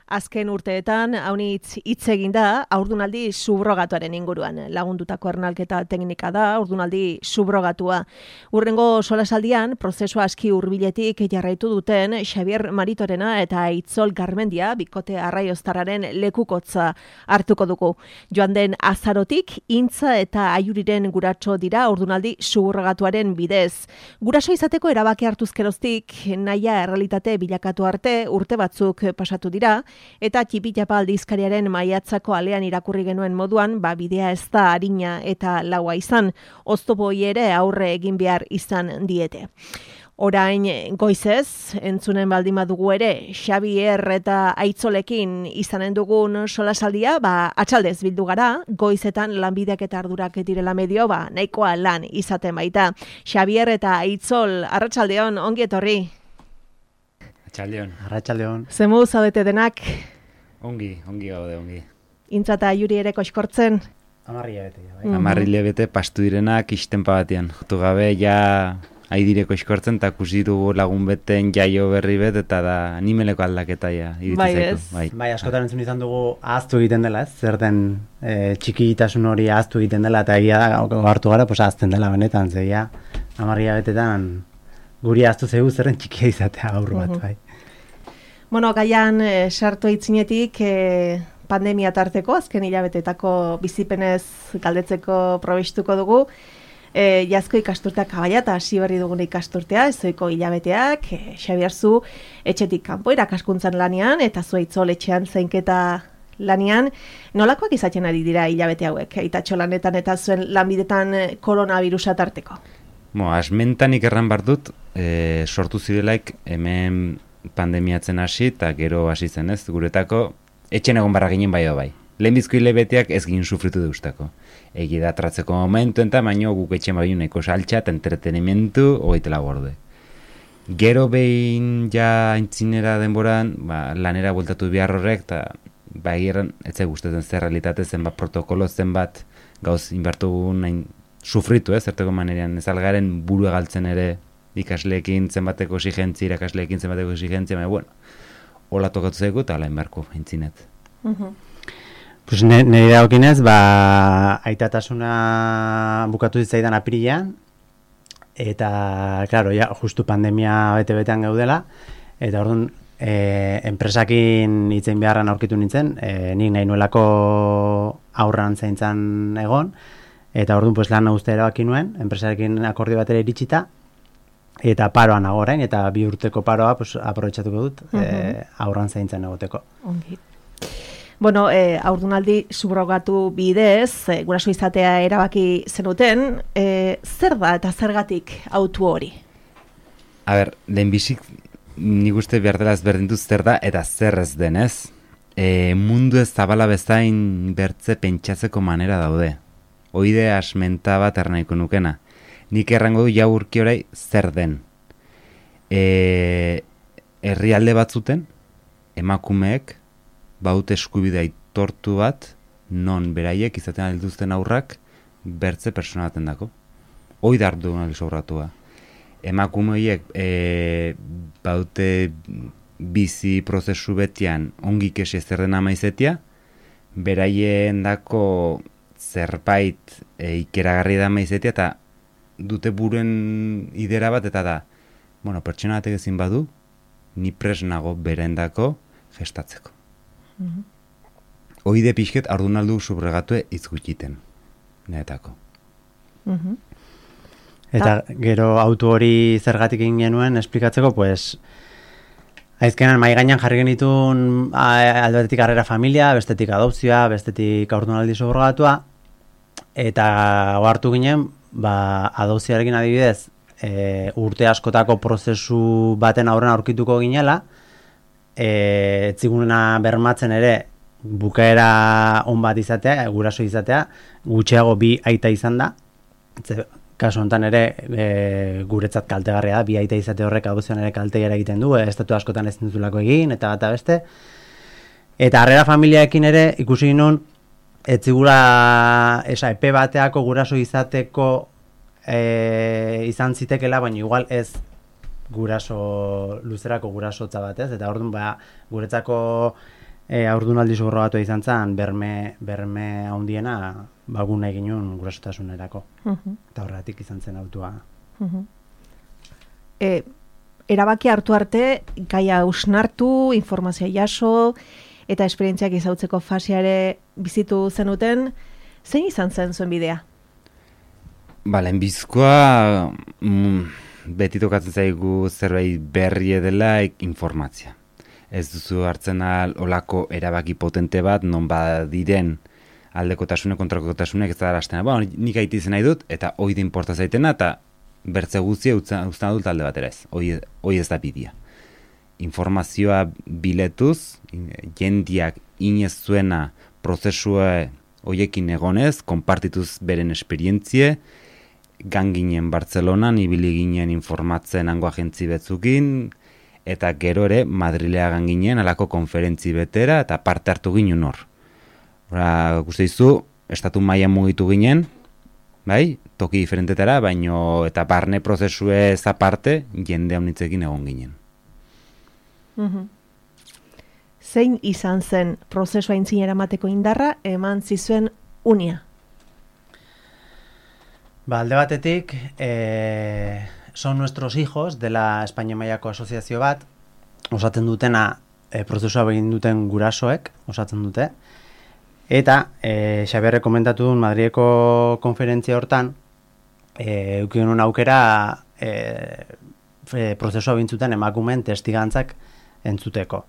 Azken urteetan, haunitz hitz egin da, haurdunaldi subrogatuaren inguruan. Lagundutako ernalketa teknika da, haurdunaldi subrogatua. Urrengo solasaldian, prozesua aski hurbiletik jarraitu duten Xabier Maritorena eta Aitzol Garmendia, bikote arraioztarraren lekukotza hartuko dugu. Joan den azarotik, intza eta aiuriren guratxo dira haurdunaldi subrogatuaren bidez. Guraso izateko erabaki hartuzkeroztik, nahia errealitate bilakatu arte urte batzuk pasatu dira, eta Txipitapa aldizkariaren maiatzako alean irakurri genuen moduan, bidea ez da arina eta laua izan, oztopoi ere aurre egin behar izan diete. Orain goizez, entzunen baldin badugu ere, Xabier eta Aitzolekin izanen dugun solasaldia, atxaldez bildu gara, goizetan lanbideak eta ardurak direla medio, nahikoa lan izaten baita. Xabier eta Aitzol, arratsaldeon, ongi etorri. Arratsaldeon. Zemu zaudete denak? Ongi gaude, ongi. Intza eta aiuri ere koxkortzen? 10 hilabete. 10 hilabete pastu direnak istenpa batean. Jotu gabe, ja aidire koxkortzen, eta kusi dugu lagun beten jaio berri bet, eta da animeleko aldaketa ja. Bai, askotan entzun izan dugu ahaztu egiten dela, ez? Zer den txikitasun hori ahaztu egiten dela, eta egia hartu gara, ahazten dela benetan, zeia 10 hilabetetan guri ahaztu zegu zerren txikia izatea aurru bat, bai. Bueno, gaian sartu aitzinetik pandemia tarteko, azken hilabetetako bizipenez galdetzeko probestuko dugu. Jazko ikasturteak abaia eta hasi berri dugun ikasturtea, ezoiko hilabeteak, Xabier zu etxetik kanpo irakaskuntzan lanean, eta zu Aitzol etxean zainketa lanean. Nolakoak izaten ari dira hilabete hauek, Aitatxo lanetan eta zuen lanbidetan koronavirusa tarteko? Asmentanik erran bar dut, sortu zidelaik hemen pandemiatzen hasi, eta gero hasi zen ez, guretako, etxen egon barra ginen bai. Lehenbizko hilabeteak ez ginen sufritu deustako. Egi da tratzeko momentu, eta baino guk etxen bai uneko saltxa eta entretenimentu hogeitela gorde. Gero behin ja aintzinera denboran, lanera bueltatu behar horrek, eta eran, ez gustatzen zer realitate zenbat protokolo zenbat gauz inbartu nahin sufritu, zerteko manerean, ez algaren buru egaltzen ere ikasleekin zenbateko exigentzia, irakasleekin zenbateko exigentzia, hola tokatu zaigu eta ala inbarko, aintzinet. Pues nire dagokinez, aitatasuna bukatu zitzaidan apirilean, eta, klaro, ja, justu pandemia bete-betean gaudela, eta orduan, enpresakin hitzein beharran aurkitu nintzen, nik nahi nuelako aurran zaintzan egon, eta orduan pues, lan uztea erabaki nuen, enpresarekin akordio batera iritsita, eta paroan nago orain, eta 2 urteko paroa pues, aprobetxatuko dut aurran zaintzan egoteko. Ongi. Bueno, haurdunaldi subrogatu bidez, guraso izatea erabaki zenuten, zer da eta zergatik autu hori? A ber, lehenbizik nik uste behar dela ezberdintuz zer da eta zer ez denez. Mundu ez zabala bezain bertze pentsatzeko manera daude. Oide asmenta bat ernaiko nukena. Nik errango du jau urki orai zer den. Herrialde batzuten, emakumeek, baut eskubide aitortu bat, non beraiek izaten alduzten aurrak, bertze persona baten dako. Hoi da hartu duen sobratua. Emakumeek baute bizi prozesu betian ongi kesi zer den amaizetia, beraien dako zerbait ikeragarri da amaizetia, eta dute buren idera bat, eta da, pertsona batek ezin badu, ni pres nago berendako gestatzeko. Oide pixket haurdunaldu subregatue izgutiten, niretako. Eta gero autu hori zergatik egin genuen esplikatzeko, pues, aizkenan mai gainean jarri genitun alde batetik harrera familia, bestetik adopzioa, bestetik haurdunaldi subrogatua, eta hartu ginen, adopzioarekin adibidez, urte askotako prozesu baten aurren aurkituko ginela, etziguna bermatzen ere bukaera on bat izatea, guraso izatea, gutxiago 2 aita izan da, kasu honetan ere guretzat kaltegarria da, 2 aita izate horrek adopzioan ere kaltea egiten du, estatu askotan ez dutulako egin, eta bata beste. Eta harrera familiaekin ere ikusi ginen, etzigula epe bateako guraso izateko izan zitekela, baina igual ez luzerako gurasotza bat, ez? Eta orduan guretzako haurdunaldi subrogatua izan zen, berme handiena, baguna egin nuen gurasotasunerako. Eta horretik izan zen autua. Erabaki hartu arte, gaia usnartu, informazioa jaso, eta esperientziak izautzeko faseare bizitu zenuten, zein izan zen zuen bidea? Lehenbizkoa beti tokatzen zaigu zerbait berri dela informatzia. Ez duzu hartzen olako erabaki potente bat, non badiren aldekotasunek, kontrakotasunek ez da arastena. Nik aiti izan nahi dut, eta hoi da inporta zaitena, eta bertze guztia uzten adult alde batera ez. Hoi ez da bidea. Informazioa biletuz, jendiak inez zuena prozesua hoiekin egonez, konpartituz beren esperientzie, ganginen Bartzelonan, ibili ginen informatzen hango agentzi betzukin, eta gero ere Madrilea ganginen alako konferentzi betera, eta parte hartu ginen hor. Guzti izu, estatu mailan mugitu ginen, bai, toki diferentetara, baino eta barne prozesuez aparte, jende haunitzekin egon ginen. Zein izan zen prozesua aintzinera emateko indarra eman zizuen unia? Alde batetik, son nuestros hijos dela Espainia mailako asoziazio bat, osatzen dutena prozesua begin duten gurasoek, osatzen dute, eta Xabierrek komentatu duen Madrileko konferentzia hortan, eukin un aukera prozesua bintzuten emakumeen testigantzak entzuteko.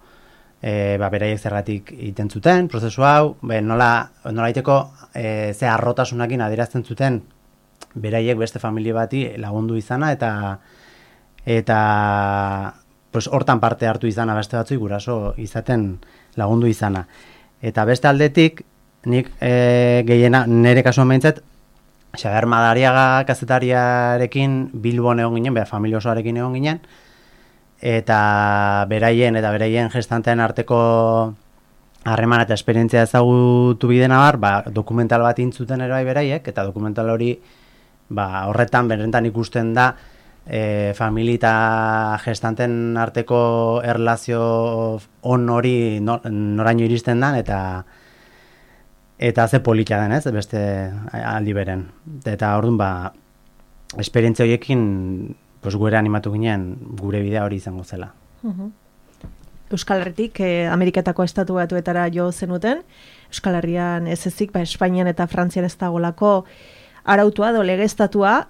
Beraiek zergatik iten zuten, prozesu hau, nola iteko ze arrotasunakin adierazten zuten beraiek beste familia bati lagundu izana eta hortan parte hartu izana beste batzui guraso izaten lagundu izana. Eta beste aldetik, nik gehiena nire kasuan behintzat, Xabier Madariaga kazetariarekin Bilbon egon ginen, familia osoarekin egon ginen, eta beraien gestantean arteko harremana eta esperientzia ezagutu bidena dokumental bat intzuten ere bai beraiek, eta dokumental hori horretan berentan ikusten da familia eta gestanten arteko erlazio on hori noraino iristen dan, eta ze polita den, ez, beste aldi beren. Eta orduan esperientzia horiekin gure animatu ginen gure bidea hori izango zela. Euskal Herritik Ameriketako estatu batuetara jo zenuten, Euskal Herrian ez ezik, Espainian eta Frantzian ez dagolako arautua edo legeztatua,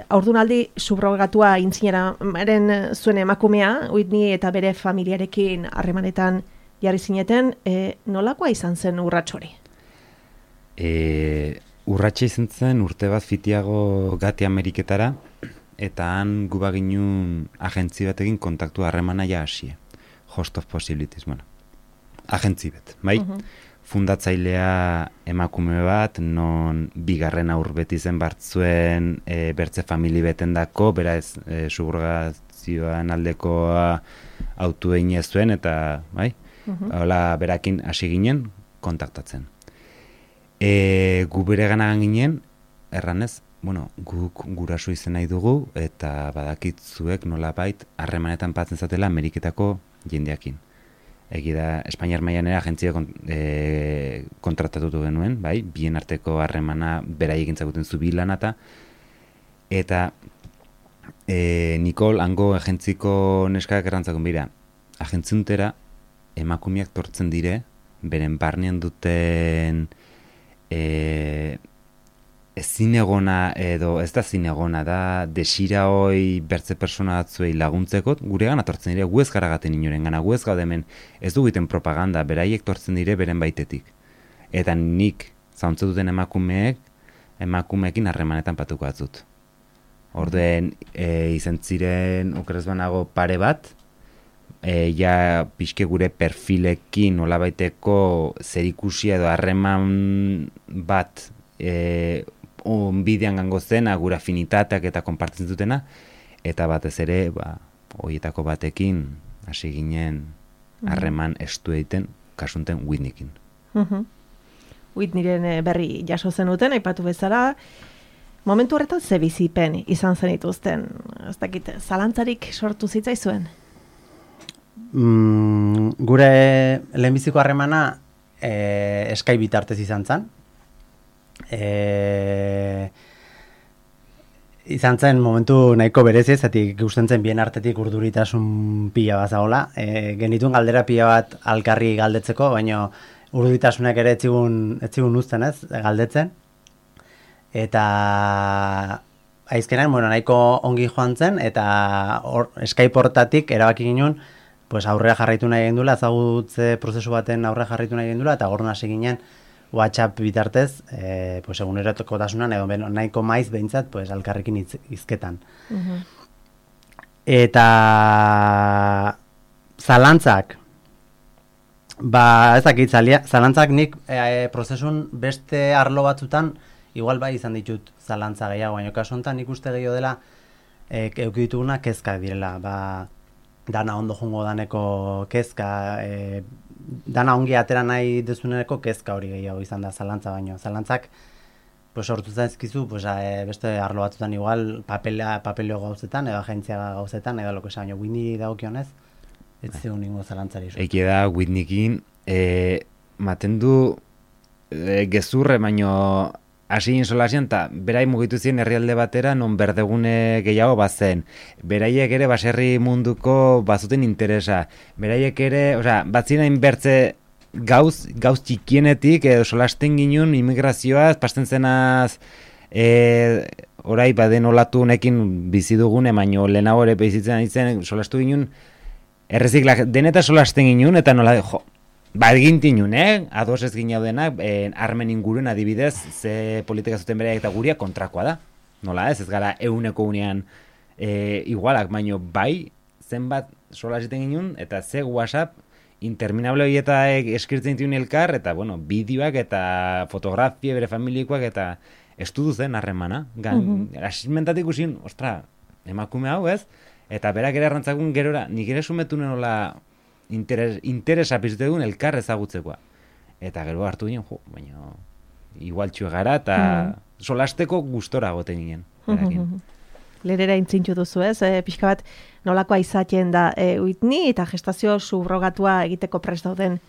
haurdunaldi subrogatua intzineraren zuen emakumea, Whitney eta bere familiarekin harremanetan jarri zineten, nolakoa izan zen urrats hori? Urratsa izan zen urte bat fitiago gati Ameriketara, eta han gu baginun agentzi batekin kontaktu harremana ja hasie. Host of Possibilities, agentzi bet, bai? Fundatzailea emakume bat, non bigarren aur beti zen bartzuen bertze famili beten dako, beraz subrogazioan aldekoa autu egin ez zuen, eta bai? Hola berakin hasi ginen kontaktatzen. Gu bere ganagan ginen, erranez, guk guraso izen nahi dugu, eta badakitzuek nolabait harremanetan patzen zatela Ameriketako jendeakin. Egida, Espainiar mailan ere agentzia kontratatutu genuen, bai, bien arteko harremana beraiek entzakuten zubilana eta Nikol, hango agentziko neskak errantzakun bira, agentziuntera emakumeak tortzen dire, beren barnean duten zinegona edo ez da zinegona da desira hoi bertze persona batzuei laguntzeko guregan atortzen dire, gu ez garagaten inoren gana, gu ez gaudemen ez dugiten propaganda, beraiek tortzen dire beren baitetik. Eta nik zauntze duten emakumeekin harremanetan patuko atzut. Orduen izan ziren okerez banago pare bat, ja pixke gure perfilekin nolabaiteko zerikusia edo harreman bat bidean gango zen, gura afinitateak eta konpartzen dutena, eta batez ere, horietako batekin hasi ginen harreman estu egiten, kasunten Whitneykin. Whitneyren berri jaso zenuten, aipatu bezala, momentu horretan ze bizipen izan zenituzten, ez dakit, zalantzarik sortu zitzaizuen? Gure lehenbiziko harremana Skype bitartez izan zen. Izan zen momentu nahiko berezi, zatik gusten zen bien artetik urduritasun pila bat zagola. Genituen galdera pila bat alkarri galdetzeko, baina urduritasunak ere etzigun uzten ez, galdetzen. Eta aizkenan, nahiko ongi joan zen, eta Skype hortatik erabaki ginen, pues aurrera jarraitu nahi gendula, ezagutze prozesu baten aurrera jarraitu nahi gendula, eta gorna hasi ginen WhatsApp bitartez, pues egunerokotasunan, edo nahiko maiz behintzat, pues alkarrekin izketan. Eta zalantzak, ez dakit, zalantzak nik prozesun beste arlo batzutan, igual bai izan ditut zalantza gehiago, baina kasu honetan nik uste gehiago dela euki dituguna kezkak direla, dana ondo jungo daneko kezka, dana ongi atera nahi dezuneko kezka hori gehiago izan da zalantza baino. Zalantzak pues sortu zaizkizu, pues beste arlo batzutan igual papeleo gauzetan edo agentzia gauzetan edo loko esan, Whitney dagokionez ez zeun ningo zalantzari. Eke da Whitneykin maten du gezurre baino hasi insolasian, eta berai mugitu ziren herrialde batera non berdegune gehiago bazen. Beraiek ere baserri munduko bazuten interesa. Beraiek ere, batzina inbertze gauz txikienetik, edo solasten ginen immigrazioaz, pasten zenaz, orai baden olatu honekin bizi dugune, baino lehenago ere bizitzen izen, solastu ginen, erreziklak deneta solasten ginen, eta nola, egin tinun, ados ez ginau denak, armen inguruen adibidez, ze politika zuten bereak eta guria kontrakoa da. Nola ez gara euneko unean igualak, baino bai, zenbat sola ziten ginen, eta ze WhatsApp interminable horietak eskirtzen dituen elkar, eta bideoak eta fotografia bere familikoak, eta estudu zen harremana. Asimentatik usin, emakume hau ez, eta berak ere arrantzakun gerora, nik ere sumetu nola interesa pizute duen elkar ezagutzekoa. Eta gero hartu ginen, baina igual txue gara, eta solasteko gustora goten ginen. Lerera intzintxu duzu ez, pixka bat nolakoa izaten da Whitney eta gestazio subrogatua egiteko prest dauden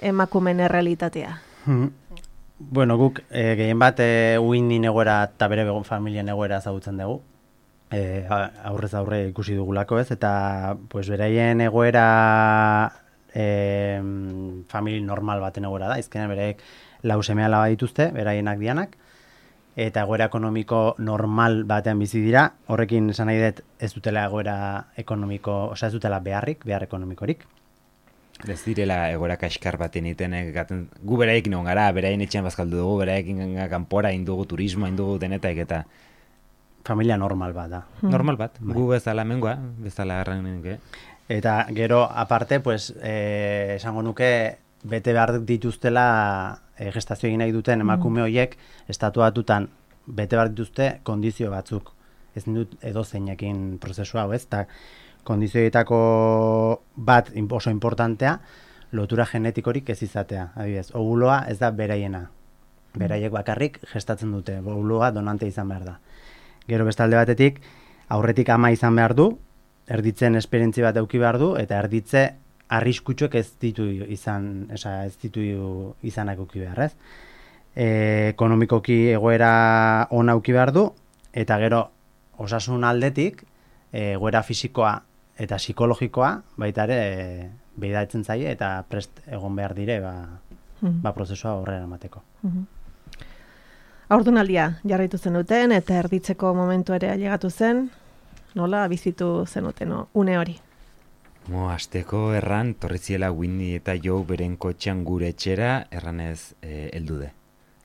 emakumen errealitatea. Guk gehien bat Whitney egoera eta bere familien egoera ezagutzen dugu. Aurrez aurre ikusi dugulako ez, eta beraien egoera famili normal baten egoera da, izkenean bereek lau seme alaba dituzte, beraienak dianak, eta egoera ekonomiko normal batean bizi dira, horrekin esan nahi dut ez dutela egoera ekonomiko, ez dutela behar ekonomikorik. Ez direla egoera kaskar baten iten, gu beraiekin egon gara, beraien etxean bazkaldu dugu, beraiekin kanpora indugu, turismo indugu denetak eta familia normal bat da. Normal bat, gu bezala mengoa, bezala garranen. Eta gero, aparte, esango nuke, bete behar dituztela gestazio egin nahi duten emakume horiek, estatuatutan bete behar dituzte kondizio batzuk. Ez dut edo zeinekin prozesua hau ez, eta kondizioetako bat oso importantea, lotura genetikorik ez izatea. Adibidez, ovuloa ez da beraiena. Beraiek bakarrik gestatzen dute, ovuloa donante izan behar da. Gero bestalde batetik, aurretik ama izan behar du, erditzen esperientzi bat eduki behar du, eta erditze arriskutsuek ez ditu izanak eduki behar, ez? Ekonomikoki egoera ona eduki behar du, eta gero osasun aldetik, egoera fisikoa eta psikologikoa, baita ere, behidatzen zaie, eta prest egon behar dire, prozesua horrela emateko. Haurdunaldia jarraitu zenuten eta erditzeko momentu ere ailegatu zen, nola bizitu zenuten une hori? Asteko erran, torritziela Whitney eta Joe beren kotxean gure etxera, erranez heldude.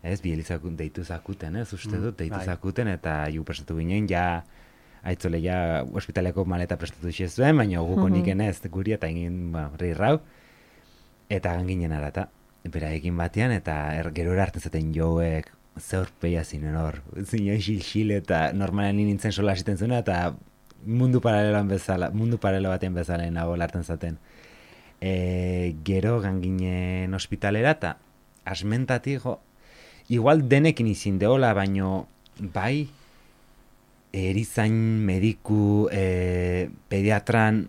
Ez, bielizakun deitu zakuten, ez, uste dut, deitu zakuten, eta ju prestatu ginen, aitzole ospitaleko maleta prestatu zuen, baina guko niken ez, guri eta egin rirrau, eta ganginen arata, bera egin batean, eta gero erartzen zaten Joeek, zeurpeia zinen hor, zinen xil eta normalan nintzen sola asiten zuena, eta mundu paralelo baten bezala nago larten zaten. Gero ganginen ospitalera, eta asmentatik, igual denekin izin deola, baino bai, erizain, mediku, pediatran,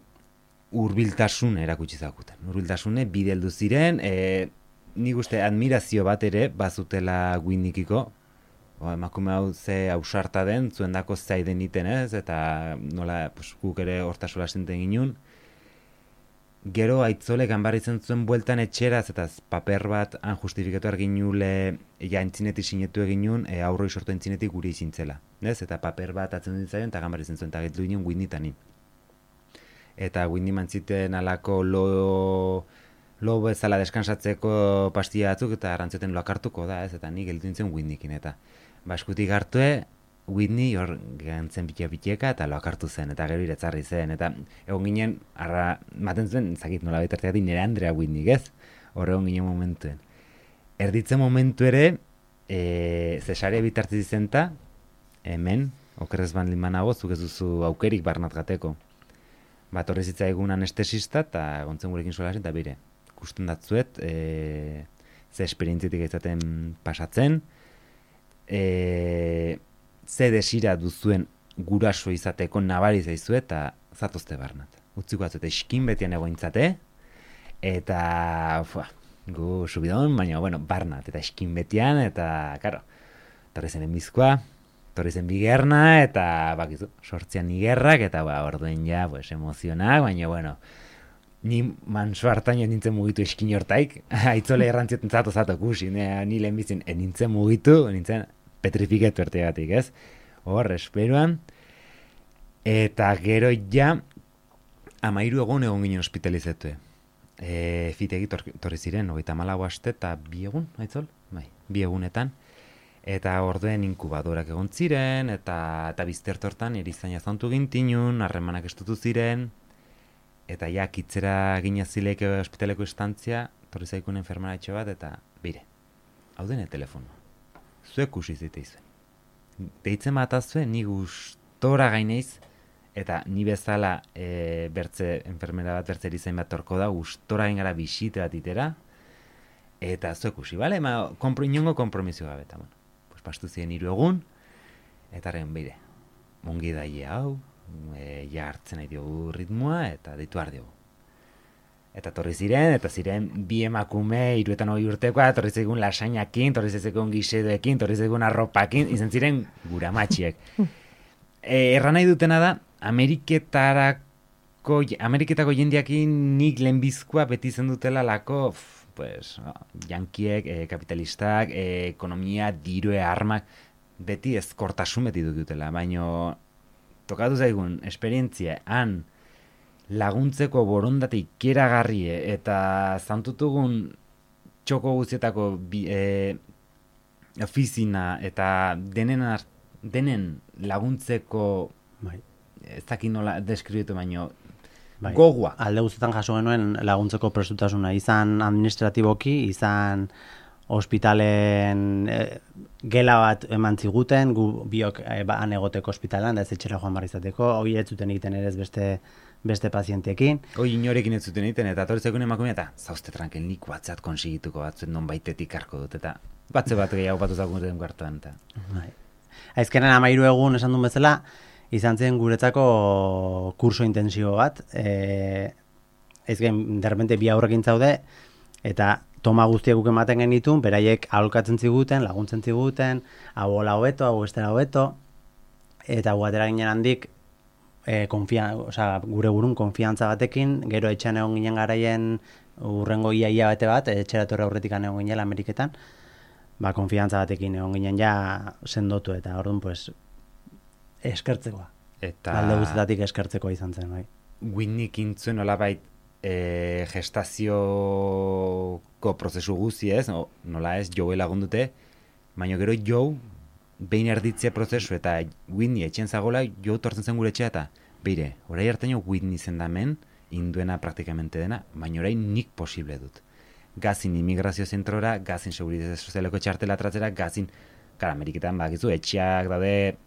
hurbiltasun erakutsi zakuten. Hurbiltasune bide heldu ziren, nik uste admirazio bat ere bazutela Whitneykiko, emakume hau ze ausarta den, zuendako zaiden iten ez, eta nola guk ere hortasola senten ginun. Gero aitzole ganbaritzen zuen bueltan etxeraz, eta paper bat han justifikatu arginule, ja entzinetik sinetu eginun, aurroi sortu entzinetik guri izintzela. Ez? Eta paper bat atzen ditzaion, eta ganbaritzen zuen, eta gaitu ginen Whitneytanin. Eta Whitney mantziten alako lo bezala deskansatzeko pastilla batzuk, eta arantzeten loak hartuko da, ez? Eta nik gelditu nintzen Whitneykin, eta eskutik hartue, Whitney hor gantzen biteka eta loak hartu zen, eta gero iretzarri zen, eta egon ginen, maten zuen, zakit nola betartegatik nire Andrea Whitney, ez? Hor egon ginen momentuen. Erditzen momentu ere, zesaria bitartzi zenta, hemen, okerrez baldin banago, zuk ez duzu aukerik barnat gateko. Bat horrez egun anestesista, eta gontzen gurekin sola zen, eta bire, ikusten datzuet, ze esperientzitik izaten pasatzen, ze desira duzuen guraso izateko nabari zaizu eta zatozte barnat. Utziko atzute eskin betian egointzate, eta gu subidon, baina barnat, eta eskin betian, eta karo, torri zen enbizkoa, torri zen bigerna, eta bakizu, sortzian nigerrak, eta orduen ja, emozionak, baina ni manso hartan nintzen mugitu eskin hortaik, aitzole errantzioten zato kusi, ni lehenbizien nintzen mugitu, nintzen petrifiketu ertegatik, ez? Hor, esperuan, eta gero ja, 13 egon ginen hospitalizatue. Fitegi torri ziren, 34 aste eta 2 egun, aitzol? Bai, 2 egunetan. Eta orduen inkubadorak egon ziren, eta biztertortan erizaina zantu gintinun, harremanak estutu ziren, eta ja, kitzera ginazileke hospitaleko instantzia, torri zaikun enfermaratxo bat, eta bire, hau dene telefono. Zuek usizite izuen. Deitzen bat azue, ni gustora gaineiz, eta ni bezala enfermera bat bertze erizain bat torko da, gustora gain gara bisite bat itera, eta zuek usi, bale? Inongo kompromisio gabe, eta pastu ziren 3 egun, eta horren bide, ongi daie hau, ja hartzen nahi diogu ritmoa, eta deitu behar diogu. Eta torri ziren, eta ziren 2 emakume, 32 urtekoa, torri ziren lasainakin, torri ziren gisedoekin, torri ziren arropakin, izan ziren guramatxiek. Erran nahi dutena da, Ameriketako jendeakin nik lehenbizkoa beti zen dutela lako, jankiek, kapitalistak, ekonomia, dirue, armak, beti ezkortasun beti dutela, baina tokatu zaigun, esperientzia, han laguntzeko borondate ikeragarri eta zantutugun txoko guztietako ofizina eta denen laguntzeko ez dakit nola deskribitu baino gogoa. Alde guztietan jaso genuen laguntzeko prestutasuna, izan administratiboki, izan ospitalen gela bat eman ziguten, gu biok han egoteko ospitalan, da ez etxera joan barri izateko, hori ez zuten egiten ere ez beste pazientekin. Hoi inorekin ez zuten egiten, eta torritzeko emakumea, eta zauzte tranquil, nik batzat konsigituko batzuen non baitetik harko dut, eta batze bat gehiago batu zakuten kartuan. Aizkenen 13 egun esan duen bezala, izan zen guretzako kurso intensibo bat, aizken derrepente 2 aurrekin zaude, eta toma guztiak guk ematen genitun, beraiek aholkatzen ziguten, laguntzen ziguten, hau hola hobeto, hau estera hobeto, eta guatera ginen handik, gure burun konfiantza batekin, gero etxean egon ginen garaien urrengo ia bete bat, etxera torre aurretik egon ginen Ameriketan, konfiantza batekin egon ginen ja sendotu, eta orduan, eskertzekoa. Alde guztietatik eskertzekoa izan zen, bai. Whitneykin zuen olabait gestazioko prozesu guzti ez, nola ez, Joe lagundute, baina gero Joe behin erditzea prozesu eta Whitney etxen zagola, Joe tortzen zen gure etxea eta beire, orai hartaino Whitney zendamen, induena praktikamente dena, baina orai nik posible dut. Gazin immigrazio zentrora, gazin seguridade sozialeko txartela tratzera, gazin, Ameriketan bakizu, etxeak daude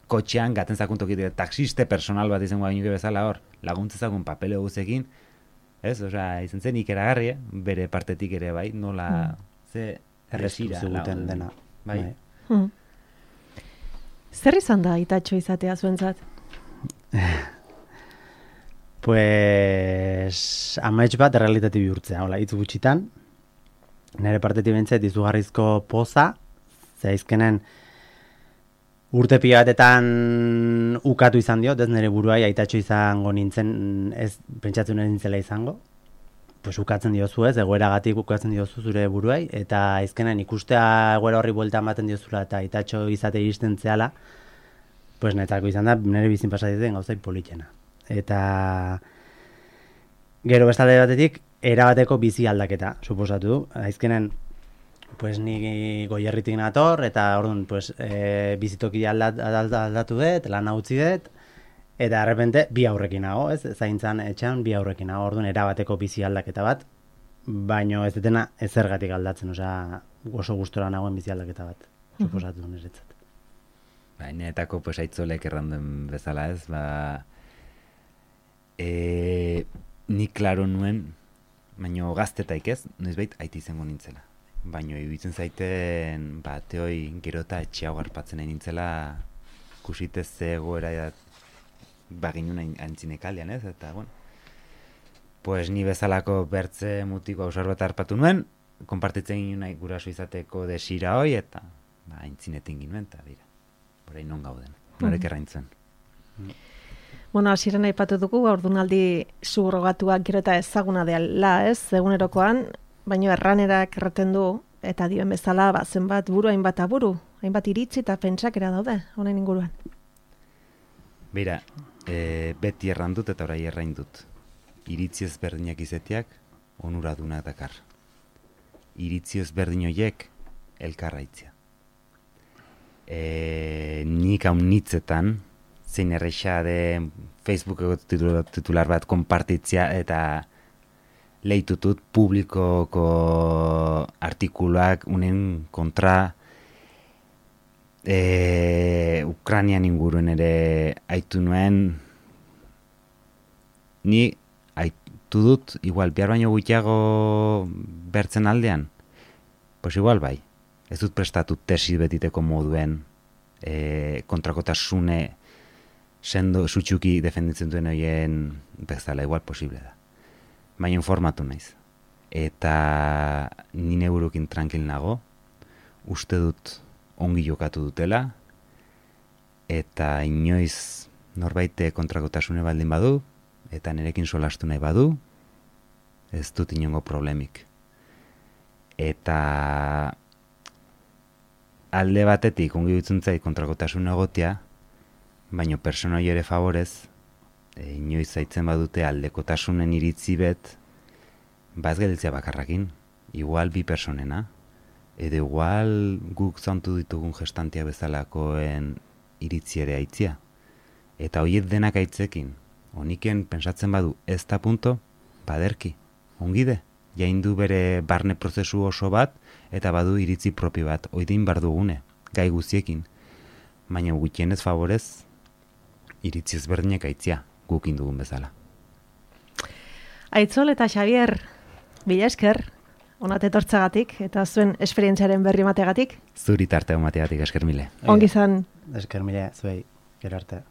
kotxean, gaten zakuntokit, taxiste personal bat izango gainuke bezala hor, laguntzezakun papele guzekin, ez, izan zen ikeragarri, bere partetik ere bai, nola, ze erresira. Ziguten dena. Bai. Zer izan da itatxo izatea zuentzat? Pues amaitz bat errealitate bihurtzea, hola, hitz gutxitan. Nire partetik bentzet izugarrizko poza, zaizkenen urte pila batetan ukatu izan diot, ez nire buruai aitatxo izango nintzen, ez pentsatzen nintzela izango. Pues ukatzen diozu ez, egoeragatik ukatzen diozu zure buruai, eta azkenen ikustea egoera horri buelta ematen diozula eta aitatxo izate iristen zehala, pues netako izan da, nire bizin pasatzen gauzai politxena. Eta gero bestalde batetik, erabateko bizi aldaketa, suposatu du. Azkenen, pues ni Goierritik nator, eta orduan, pues, bizitoki aldatu dut, lan utzi dut, eta errepente bi aurrekin nago, ez? Zaintzan etxean bi aurrekin nago, orduan erabateko bizi aldaketa bat, baino ez detena ezergatik aldatzen, osea, oso gustora nagoen bizi aldaketa bat, suposatu du niretzat. Bainetako pues aitzolek erranduen bezala ez, ni klaro nuen, baino gaztetaik ez, noizbait aiti izango nintzela. Baino iruditzen zaiten, teoi gero eta etxeago garpatzen nahi nintzela, kusitez egoera baginun antzinekalian ez, eta bueno, pues ni bezalako bertze mutiko ausar bat harpatu nuen, konpartitzen ginen nahi guraso izateko desira hoi, eta aintzinetin ginen, eta dira, orain non gauden, norek erraintzen. Bueno, hasieran aipatu dugu, haurdunaldi subrogatuak gero eta ezaguna dela, ez, egunerokoan, baino erranerak erraten du, eta dioen bezala, zenbat buru, hainbat aburu, hainbat iritzi eta pentsakera daude, honen inguruan. Beira, beti erran dut eta orai errain dut. Iritzi ezberdinak izeteak, onuraduna dakar. Iritzi ezberdin horiek, elkarraitzia. Nik haun nitzetan, zein erreixa de Facebookeko titular bat konpartitzia eta lehitutut publikoko artikuluak unen kontra Ukrainian inguruen ere aitu nuen, ni aitu dut, igual, bihar baino gutxiago bertzen aldean, pues igual bai, ez dut prestatu tesi betiteko moduen kontrakotasune sendo sutsuki defenditzen duen horien bezala, igual posible da. Baina informatu naiz. Eta nine burukin tranquil nago, uste dut ongi jokatu dutela, eta inoiz norbaite kontrakotasune baldin badu, eta nerekin solastu nahi badu, ez dut inongo problemik. Eta alde batetik ongi dutzen zait kontrakotasune egotea, baina personoi ere favorez, inoiz zaitzen badute aldekotasunen iritzi bet, ez gelditzea bakarrakin, igual bi personena, edo igual guk zantu ditugun gestantia bezalakoen iritzi ere aitzia. Eta horiet denak aitzekin, honiken pensatzen badu ez da punto, baderki, ongide, jaindu bere barne prozesu oso bat, eta badu iritzi propio bat, oidein bardugune, gai guziekin, baina gutxienez favorez, iritzi ezberdinak aitzia, gukin dugun bezala. Aitzol eta Xavier, bila esker, onat etortzagatik, eta zuen esperientziaren berri mategatik. Zuri tarte mategatik, esker mile. Ongi zan. Esker mile, zuei, gero arte.